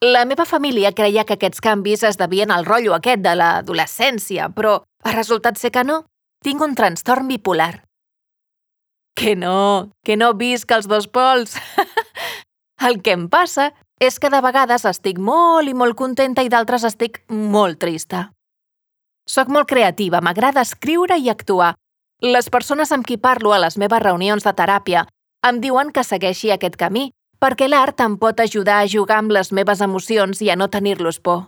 La meva família creia que aquests canvis es devien al rotllo aquest de l'adolescència, però ha resultat ser que no. Tinc un trastorn bipolar. Que no visc els dos pols. El que em passa és que de vegades estic molt i molt contenta i d'altres estic molt trista. Soc molt creativa, m'agrada escriure i actuar. Les persones amb qui parlo a les meves reunions de teràpia em diuen que segueixi aquest camí, perquè l'art em pot ajudar a jugar amb les meves emocions i a no tenir-los por.